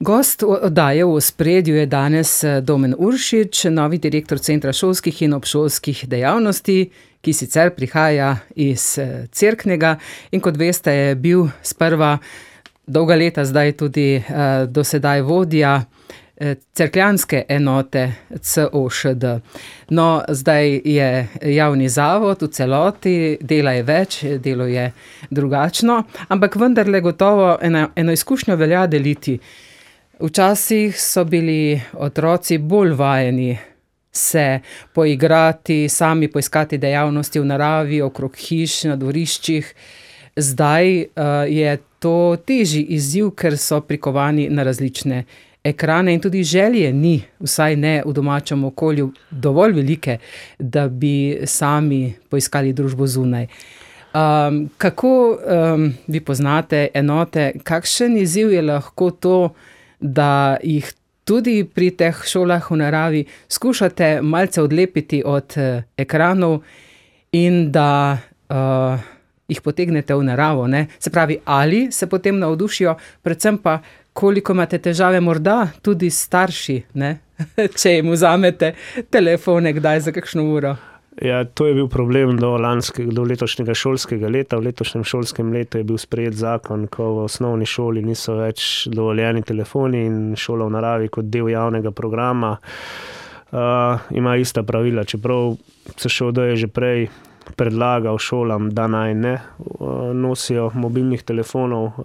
Gost oddaje V ospredju je danes Domen Uršič, novi direktor Centra šolskih in obšolskih dejavnosti, ki sicer prihaja iz Cerknega in kot veste je bil sprva dolga leta zdaj tudi do sedaj vodja cerkljanske enote COŠD. No, zdaj je javni zavod v celoti, dela je več, delo je drugačno, ampak vendarle gotovo eno izkušnjo velja deliti. Včasih so bili otroci bolj vajeni se poigrati, sami poiskati dejavnosti v naravi, okrog hiš, na dvoriščih. Zdaj je to težji izziv, ker so prikovani na različne ekrane in tudi želje ni, vsaj ne v domačem okolju, dovolj velike, da bi sami poiskali družbo zunaj. Kako vi poznate enote, kakšen izziv je lahko to, da jih tudi pri teh šolah v naravi skušate malce odlepiti od ekranov in da jih potegnete v naravo, ne? Se pravi, ali se potem navdušijo, predvsem pa koliko imate težave morda tudi starši, ne? Če jim vzamete telefone kdaj za kakšno uro. Ja, to je bil problem do letošnjega šolskega leta. V letošnjem šolskem letu je bil sprejet zakon, ko v osnovni šoli niso več dovoljeni telefoni in šola v naravi kot del javnega programa ima ista pravila, čeprav CŠOD je že prej predlagal šolam, da naj ne nosijo mobilnih telefonov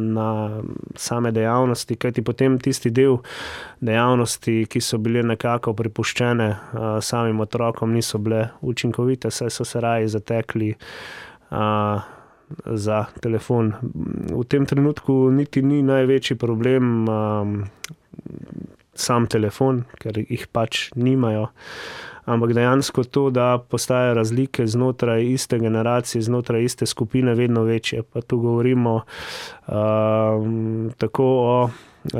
na same dejavnosti, kajti potem tisti del dejavnosti, ki so bile nekako prepuščene samim otrokom, niso bile učinkovite, saj so se raje zatekli za telefon. V tem trenutku niti ni največji problem sam telefon, ker jih pač nimajo. Ampak dejansko to, da postajajo razlike znotraj iste generacije, znotraj iste skupine vedno večje. Pa tu govorimo tako o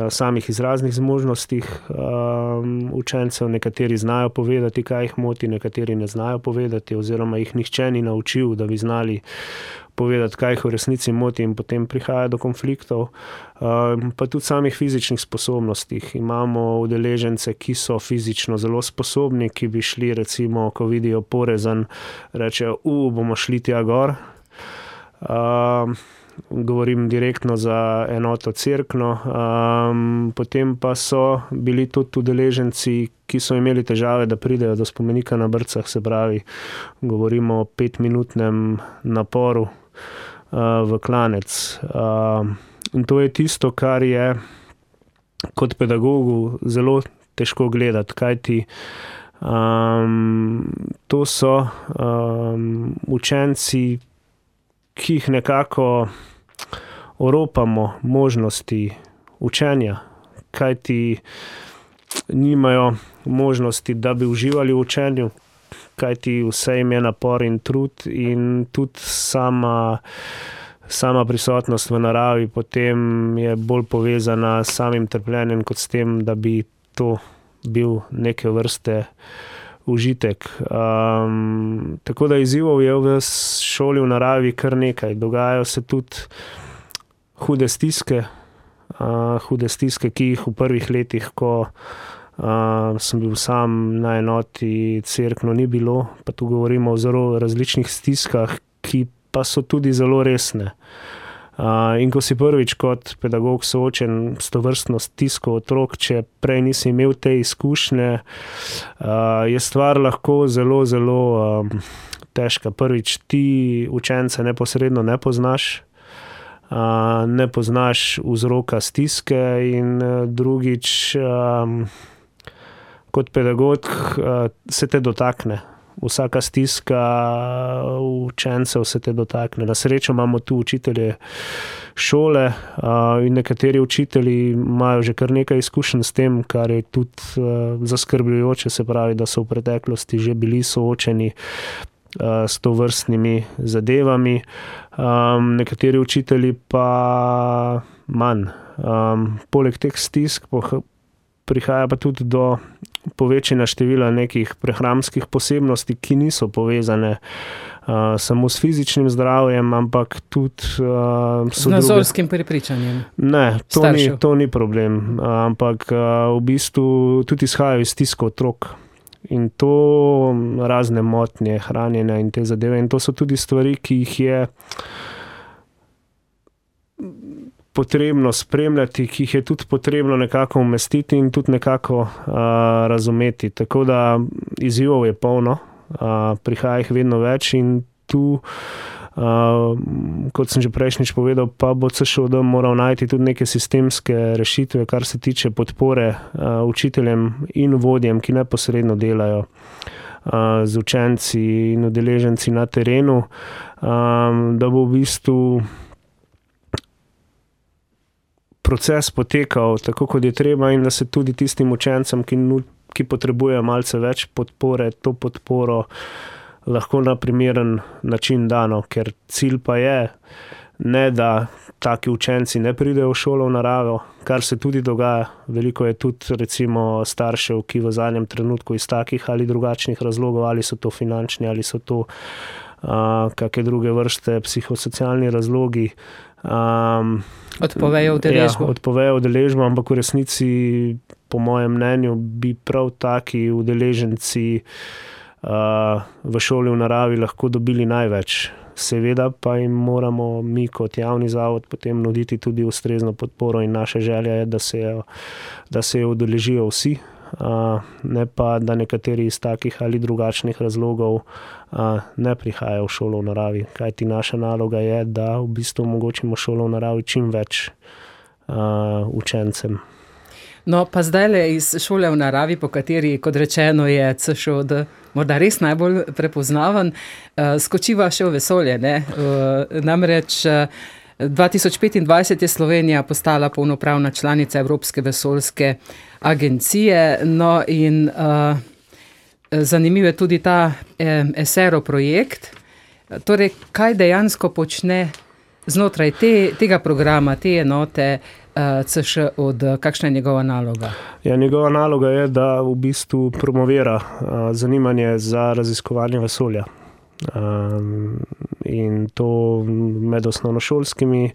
samih izraznih zmožnostih učencev. Nekateri znajo povedati, kaj jih moti, nekateri ne znajo povedati, oziroma jih nihče ni naučil, da bi znali povedati, kaj jih v resnici moti, in potem prihaja do konfliktov. Pa tudi samih fizičnih sposobnostih. Imamo udeležence, ki so fizično zelo sposobni, ki bi šli, recimo, ko vidijo porezan, rečejo, bomo šli tja gor. Govorim direktno za enoto Cerkno. Potem pa so bili tudi udeleženci, ki so imeli težave, da pridejo do spomenika na Brcah, se pravi, govorimo o 5-minutnem naporu v klanec. In to je tisto, kar je kot pedagogu zelo težko gledati, kajti to so učenci, ki jih nekako oropamo možnosti učenja, kajti nimajo možnosti, da bi uživali v učenju, kajti vse jim je napor in trud, in tudi sama prisotnost v naravi potem je bolj povezana s samim trpljenjem, kot s tem, da bi to bil neke vrste užitek. Tako da izzivov je v šoli v naravi kar nekaj. Dogajajo se tudi hude stiske, ki jih v prvih letih, ko sem bil sam na enoti Cerkno, ni bilo. Pa tu govorimo o zelo različnih stiskah, ki pa so tudi zelo resne. In ko si prvič kot pedagog soočen s tovrstno stisko otrok, če prej nisi imel te izkušnje, je stvar lahko zelo, zelo težka. Prvič, ti učence neposredno ne poznaš, ne poznaš vzroka stiske, in drugič, kot pedagog se te dotakne. Vsaka stiska učencev se te dotakne. Na srečo imamo tu učitelje šole in nekateri učitelji imajo že kar nekaj izkušenj s tem, kar je tudi zaskrbljujoče, se pravi, da so v preteklosti že bili soočeni s tovrstnimi zadevami. Nekateri učitelji pa manj. Poleg teh stisk prihaja pa tudi do povečanja števila nekih prehranskih posebnosti, ki niso povezane samo s fizičnim zdravjem, ampak tudi z nazorskim prepričanjem. Ne, to ni problem, ampak v bistvu tudi izhajajo iz stiska otrok. In to razne motnje, hranjenja in te zadeve. In to so tudi stvari, ki jih je potrebno spremljati, ki jih je tudi potrebno nekako umestiti in tudi nekako razumeti. Tako da izzivov je polno, prihaja jih vedno več in tu, kot sem že prejšnjič povedal, pa bo CŠOD moral najti tudi neke sistemske rešitve, kar se tiče podpore učiteljem in vodjem, ki neposredno delajo z učenci in udeleženci na terenu, da bo v bistvu proces potekal tako, kot je treba in da se tudi tistim učencem, ki potrebujejo malce več podpore, to podporo lahko na primeren način dano, ker cilj pa je, ne da taki učenci ne pridejo v šolo v naravo, kar se tudi dogaja. Veliko je tudi recimo staršev, ki v zadnjem trenutku iz takih ali drugačnih razlogov, ali so to finančni, ali so to kakšne druge vrste psihosocialni razlogi, odpovejo udeležbo. Ja, odpovejo udeležbo, ampak v resnici, po mojem mnenju, bi prav taki udeleženci v šoli v naravi lahko dobili največ. Seveda pa jim moramo mi kot javni zavod potem nuditi tudi ustrezno podporo in naša želja je, da se jo udeležijo vsi, ne pa, da nekateri iz takih ali drugačnih razlogov ne prihajajo v šolo v naravi. Kajti naša naloga je, da v bistvu omogočimo šolo v naravi čim več učencem. No, pa zdajle iz šole v naravi, po kateri, kot rečeno, je CŠOD morda res najbolj prepoznaven, skočiva še v vesolje, ne? Namreč 2025 je Slovenija postala polnopravna članica Evropske vesoljske agencije, no in zanimiv je tudi ta ESERO projekt. Torej, kaj dejansko počne znotraj tega programa, te enote CŠOD, kakšna je njegova naloga? Ja, njegova naloga je, da v bistvu promovira zanimanje za raziskovanje vesolja. In to med osnovnošolskimi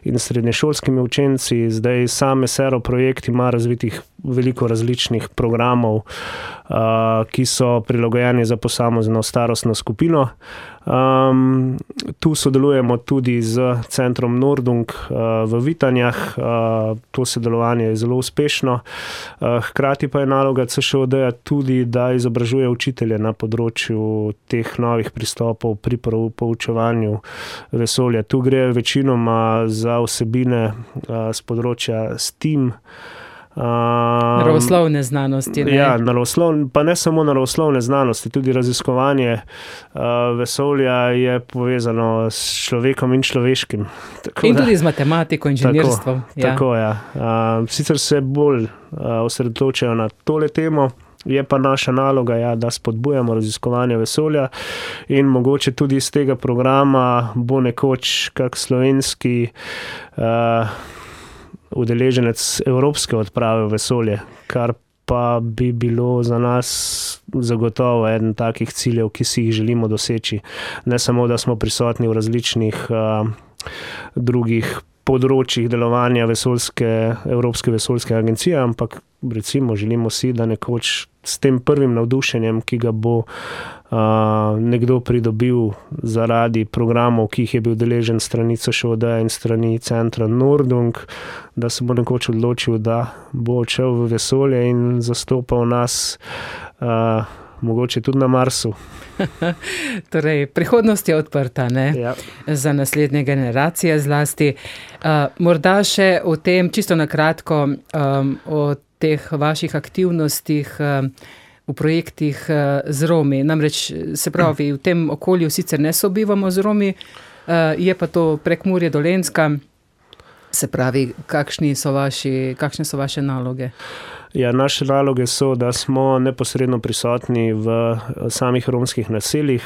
in srednješolskimi učenci. Zdaj sam ESERO projekt ima razvitih veliko različnih programov, ki so prilagojeni za posamezno starostno skupino. Tu sodelujemo tudi z centrom Nordung v Vitanjah. To sodelovanje je zelo uspešno. Hkrati pa je naloga CŠOD-ja tudi, da izobražuje učitelje na področju teh novih pristopov pri poučevanju vesolja. Tu gre večinoma za vsebine z področja STEAM, naravoslovne znanosti. Ne? Ja, pa ne samo naravoslovne znanosti, tudi raziskovanje vesolja je povezano s človekom in človeškim. In tudi z matematiko, inženirstvom. Tako, ja. Sicer se bolj osredotočajo na tole temo, je pa naša naloga, ja, da spodbujamo raziskovanje vesolja in mogoče tudi iz tega programa bo nekoč kak slovenski udeleženec evropske odprave v vesolje, kar pa bi bilo za nas zagotovo eden takih ciljev, ki si jih želimo doseči. Ne samo, da smo prisotni v različnih drugih področjih delovanja Evropske vesoljske agencije, ampak recimo želimo si, da nekoč s tem prvim navdušenjem, ki ga bo nekdo pridobil zaradi programov, ki jih je bil deležen strani CŠOD in strani centra Nordung, da se bo nekoč odločil, da bo odšel v vesolje in zastopal nas mogoče tudi na Marsu. Torej, prihodnost je odprta, ne? Ja. Za naslednje generacije zlasti. Morda še o tem, čisto na kratko, o teh vaših aktivnostih v projektih z Romi. Namreč, se pravi, v tem okolju sicer ne sobivamo z Romi, je pa to Prekmurje, Dolenjska. Se pravi, kakšne so vaše naloge? Ja, naše naloge so, da smo neposredno prisotni v samih romskih naseljih,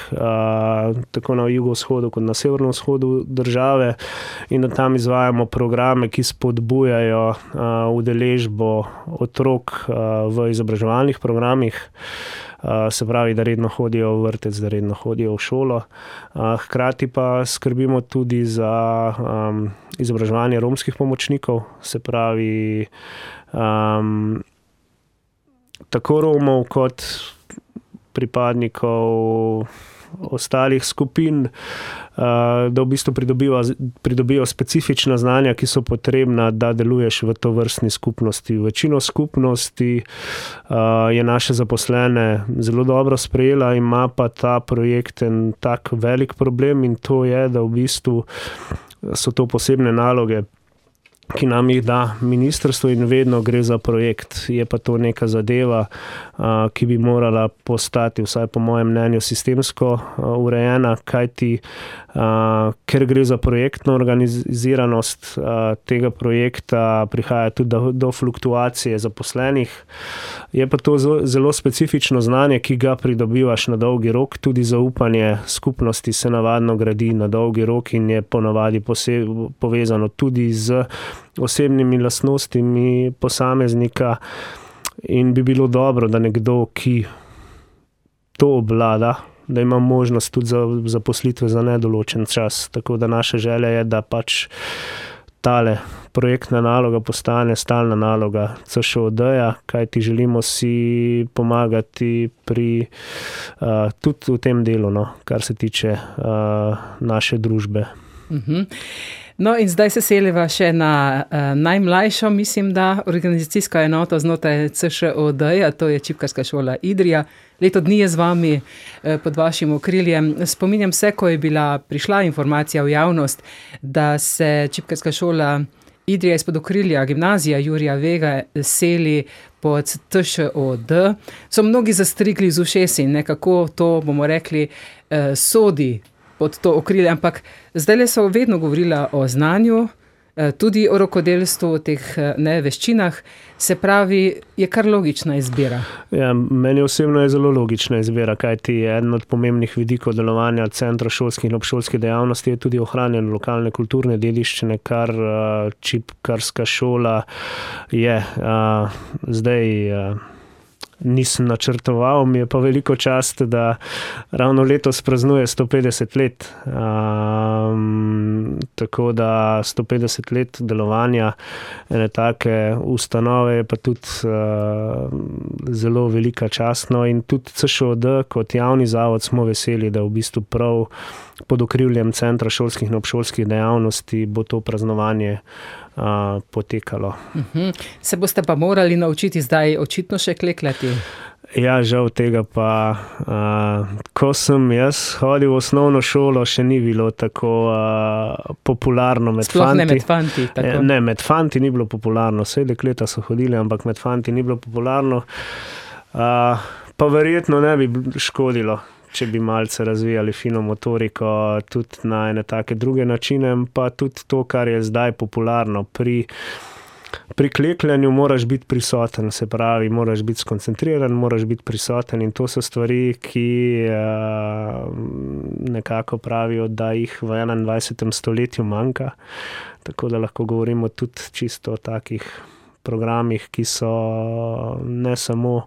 tako na jugovzhodu kot na severovzhodu države, in da tam izvajamo programe, ki spodbujajo udeležbo otrok v izobraževalnih programih. se pravi, da redno hodijo v vrtec, da redno hodijo v šolo. Hkrati pa skrbimo tudi za izobraževanje romskih pomočnikov, se pravi, tako Romov kot pripadnikov ostalih skupin, da v bistvu pridobijo specifična znanja, ki so potrebna, da deluješ v tovrstni skupnosti. Večino skupnosti je naše zaposlene zelo dobro sprejela, ima pa ta projekt en tak velik problem in to je, da v bistvu so to posebne naloge, ki nam jih da ministrstvo in vedno gre za projekt. Je pa to neka zadeva, ki bi morala postati, vsaj po mojem mnenju, sistemsko urejena, kajti ker gre za projektno organiziranost tega projekta, prihaja tudi do fluktuacije zaposlenih. Je pa to zelo specifično znanje, ki ga pridobivaš na dolgi rok, tudi zaupanje skupnosti se navadno gradi na dolgi rok in je ponavadi povezano tudi z osebnimi lastnostmi posameznika in bi bilo dobro, da nekdo, ki to obvlada, da ima možnost tudi za zaposlitve za nedoločen čas. Tako da naša želja je, da pač tale projektna naloga postane stalna naloga CŠOD-ja, kajti želimo si pomagati pri tudi v tem delu, no, kar se tiče naše družbe. No in zdaj se seliva še na najmlajšo, mislim, da organizacijsko enoto znotraj CŠOD-ja, to je Čipkarska šola Idrija. Leto dni je z vami pod vašim okriljem. Spominjam se, ko je prišla informacija v javnost, da se Čipkarska šola Idrija izpod okrilja gimnazija Jurija Vega seli pod TŠOD. So mnogi zastrigli z ušesi, nekako to, bomo rekli, sodi pod to okrilje, ampak zdaj so vedno govorila o znanju, tudi o rokodelstvu, o teh veščinah, se pravi, je kar logična izbira. Ja, meni osebno je zelo logična izbira, kajti eden od pomembnih vidikov delovanja centra šolskih in obšolskih dejavnosti je tudi ohranjanje lokalne kulturne dediščine, kar Čipkarska šola je. Zdaj nisem načrtoval, mi je pa veliko čast, da ravno letos praznuje 150 let. Tako da 150 let delovanja ene take ustanove je pa tudi zelo velika čast. No, in tudi CŠOD kot javni zavod smo veseli, da v bistvu prav pod okriljem centra šolskih in obšolskih dejavnosti bo to praznovanje potekalo. Se boste pa morali naučiti zdaj očitno še klekljati? Ja, žal tega pa, ko sem jaz hodil v osnovno šolo, še ni bilo tako popularno med fanti. Sploh ne med fanti, tako? Ne, med fanti ni bilo popularno, vse dekleta so hodili, ampak med fanti ni bilo popularno. Pa verjetno ne bi škodilo, če bi malce razvijali fino motoriko tudi na ene take druge načine, pa tudi to, kar je zdaj popularno. Pri klekljanju moraš biti prisoten, se pravi, moraš biti skoncentriran, moraš biti prisoten in to so stvari, ki nekako pravijo, da jih v 21. stoletju manjka. Tako da lahko govorimo tudi čisto o takih programih, ki so ne samo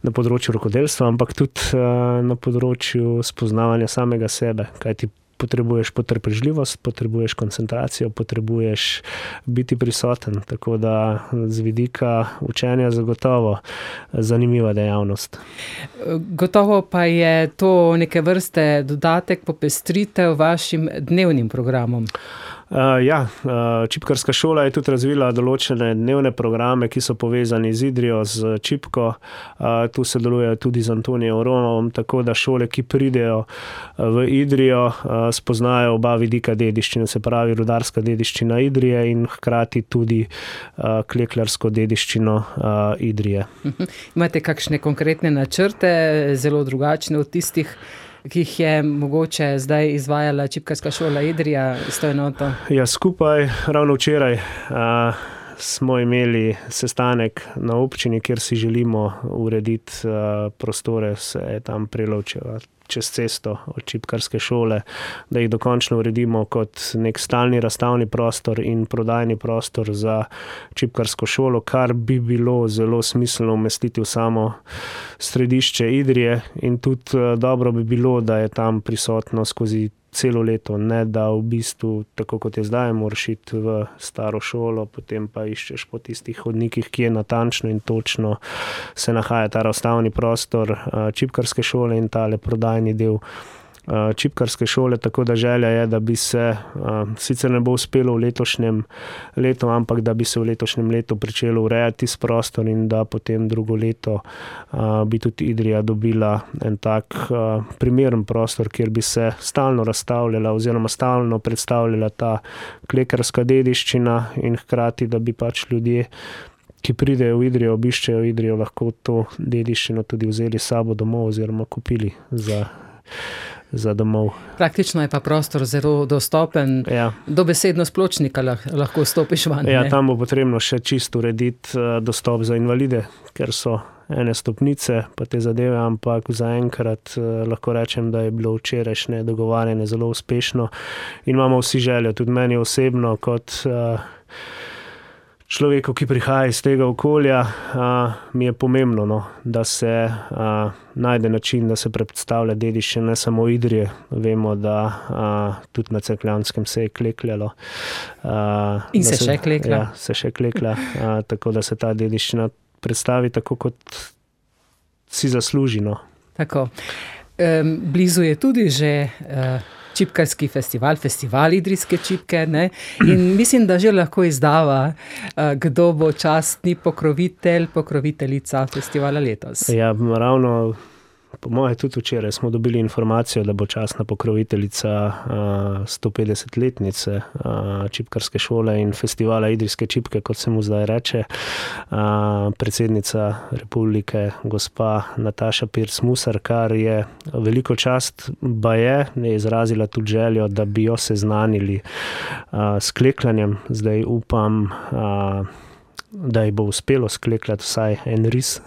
na področju rokodelstva, ampak tudi na področju spoznavanja samega sebe, kajti potrebuješ potrpežljivost, potrebuješ koncentracijo, potrebuješ biti prisoten, tako da z vidika učenja zagotovo zanimiva dejavnost. Gotovo pa je to neke vrste dodatek, popestritev vašim dnevnim programom. Čipkarska šola je tudi razvila določene dnevne programe, ki so povezani z Idrijo, z Čipko. Tu se delujejo tudi z Antonijem Romom, tako da šole, ki pridejo v Idrijo, spoznajo oba vidika dediščine, se pravi rudarska dediščina Idrije in hkrati tudi klekljarsko dediščino Idrije. Imate kakšne konkretne načrte, zelo drugačne od tistih, ki jih je mogoče zdaj izvajala Čipkarska šola Idrija s to enoto? Ja, skupaj, ravno včeraj smo imeli sestanek na občini, kjer si želimo urediti prostore, se je tam Prelovčeva čez cesto od čipkarske šole, da jih dokončno uredimo kot nek stalni razstavni prostor in prodajni prostor za čipkarsko šolo, kar bi bilo zelo smiselno umestiti v samo središče Idrije in tudi dobro bi bilo, da je tam prisotno skozi celo leto, ne da v bistvu, tako kot je zdaj, moraš iti v staro šolo, potem pa iščeš po tistih hodnikih, kje natančno in točno se nahaja ta razstavni prostor čipkarske šole in tale prodajni del čipkarske šole, tako da želja je, da bi se, sicer ne bo uspelo v letošnjem letu, ampak da bi se v letošnjem letu pričelo urejati s prostor in da potem drugo leto bi tudi Idrija dobila en tak primeren prostor, kjer bi se stalno razstavljala oziroma stalno predstavljala ta klekerska dediščina in hkrati, da bi pač ljudje, ki pridejo v Idrijo, obiščejo Idrijo, lahko to dediščino tudi vzeli s sabo domov oziroma kupili za domov. Praktično je pa prostor zelo dostopen, dobesedno s pločnika lahko stopiš van. Ja, tam bo potrebno še čisto urediti dostop za invalide, ker so ene stopnice pa te zadeve, ampak zaenkrat lahko rečem, da je bilo včerajšnje dogovarjanje zelo uspešno in imamo vsi željo, tudi meni osebno kot človeku, ki prihaja iz tega okolja, mi je pomembno, da se najde način, da se predstavlja dediščina ne samo Idrije. Vemo, da tudi na Cerkljanskem se je klekljalo. In se še kleklja. Ja, se še kleklja, tako da se ta dediščina predstavi tako, kot si zasluži. Tako. Blizu je tudi že čipkarski festival idrijske čipke, ne? In mislim, da že lahko izdava, kdo bo častni pokroviteljica festivala letos. Ja, ravno po moje tudi včeraj smo dobili informacijo, da bo častna pokroviteljica 150-letnice čipkarske šole in festivala idrijske čipke, kot se mu zdaj reče, predsednica republike, gospa Nataša Pirc Musar, kar je veliko čast, je izrazila tudi željo, da bi jo seznanili s klekljanjem. Zdaj upam, da ji bo uspelo sklekljati vsaj en ris.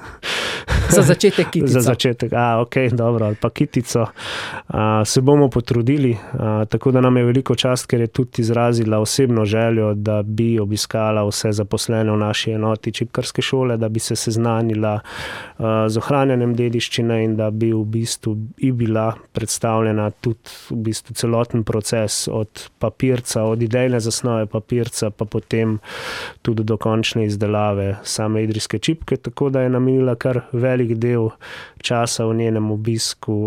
Za začetek kitico. Za začetek, dobro, ali pa kitico. Se bomo potrudili, tako da nam je veliko čast, ker je tudi izrazila osebno željo, da bi obiskala vse zaposlene v naši enoti čipkarske šole, da bi se seznanila z ohranjanjem dediščine in da bi v bistvu bila predstavljena tudi v bistvu celoten proces od papirca, od idejne zasnove papirca, pa potem tudi do končne izdelave same idrijske čipke, tako da je namenila kar velik del časa v njenem obisku,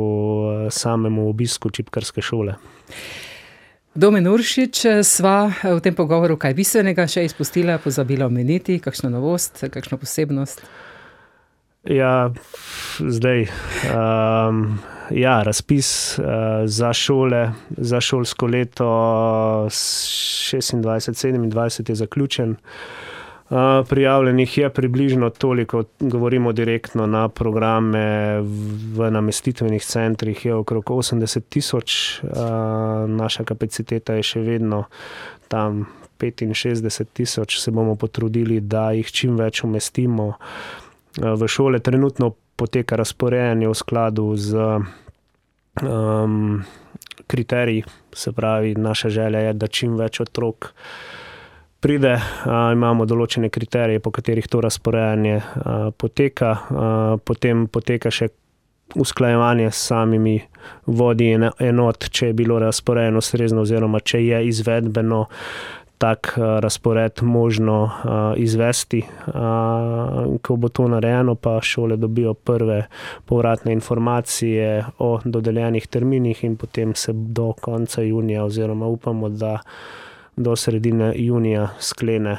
samemu obisku čipkarske šole. Domen Uršič, sva v tem pogovoru kaj bistvenega še izpustila, pozabila omeniti, kakšno novost, kakšno posebnost? Ja, zdaj, razpis za šole, za šolsko leto 26-27 je zaključen. Prijavljenih je približno toliko, govorimo direktno na programe v namestitvenih centrih, je okrog 80,000, naša kapaciteta je še vedno tam 65,000, se bomo potrudili, da jih čim več umestimo v šole. Trenutno poteka razporejanje v skladu z kriteriji, se pravi, naša želja je, da čim več otrok pride, imamo določene kriterije, po katerih to razporejanje poteka, potem poteka še usklajevanje s samimi vodji enot, če je bilo razporejeno ustrezno oziroma če je izvedbeno tak razpored možno izvesti. Ko bo to narejeno, pa šole dobijo prve povratne informacije o dodeljenih terminih in potem se do konca junija oziroma upamo, da do sredine junija sklene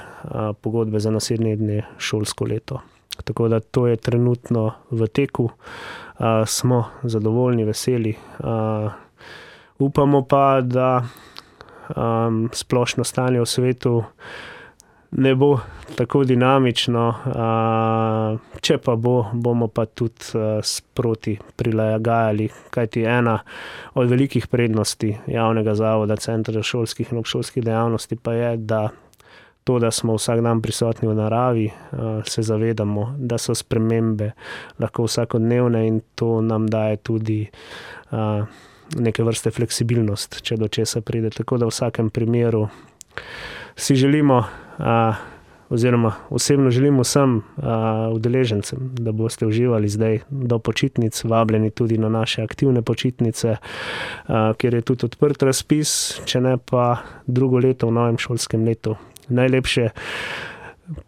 pogodbe za naslednje šolsko leto. Tako da to je trenutno v teku. Smo zadovoljni, veseli. Upamo pa, da splošno stanje v svetu ne bo tako dinamično, če pa bomo pa tudi sproti prilagajali, kajti ena od velikih prednosti javnega zavoda Centra šolskih in obšolskih dejavnosti pa je, da to, da smo vsak dan prisotni v naravi, se zavedamo, da so spremembe lahko vsakodnevne in to nam daje tudi neke vrste fleksibilnost, če do česa pride. Tako da v vsakem primeru si želimo, oziroma osebno želim vsem udeležencem, da boste uživali zdaj do počitnic, vabljeni tudi na naše aktivne počitnice, kjer je tudi odprt razpis, če ne pa drugo leto v novem šolskem letu.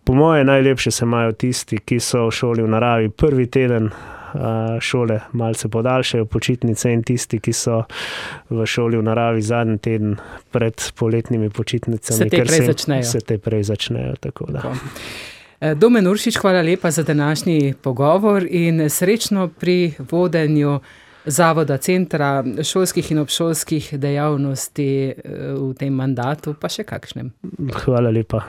Po moje najlepše se imajo tisti, ki so v šoli v naravi prvi teden šole, malce podaljšajo počitnice, in tisti, ki so v šoli v naravi zadnji teden pred poletnimi počitnicami. Se te prej začnejo. Tako da. Domen Uršič, hvala lepa za današnji pogovor in srečno pri vodenju Zavoda Centra šolskih in obšolskih dejavnosti v tem mandatu, pa še kakšnem. Hvala lepa.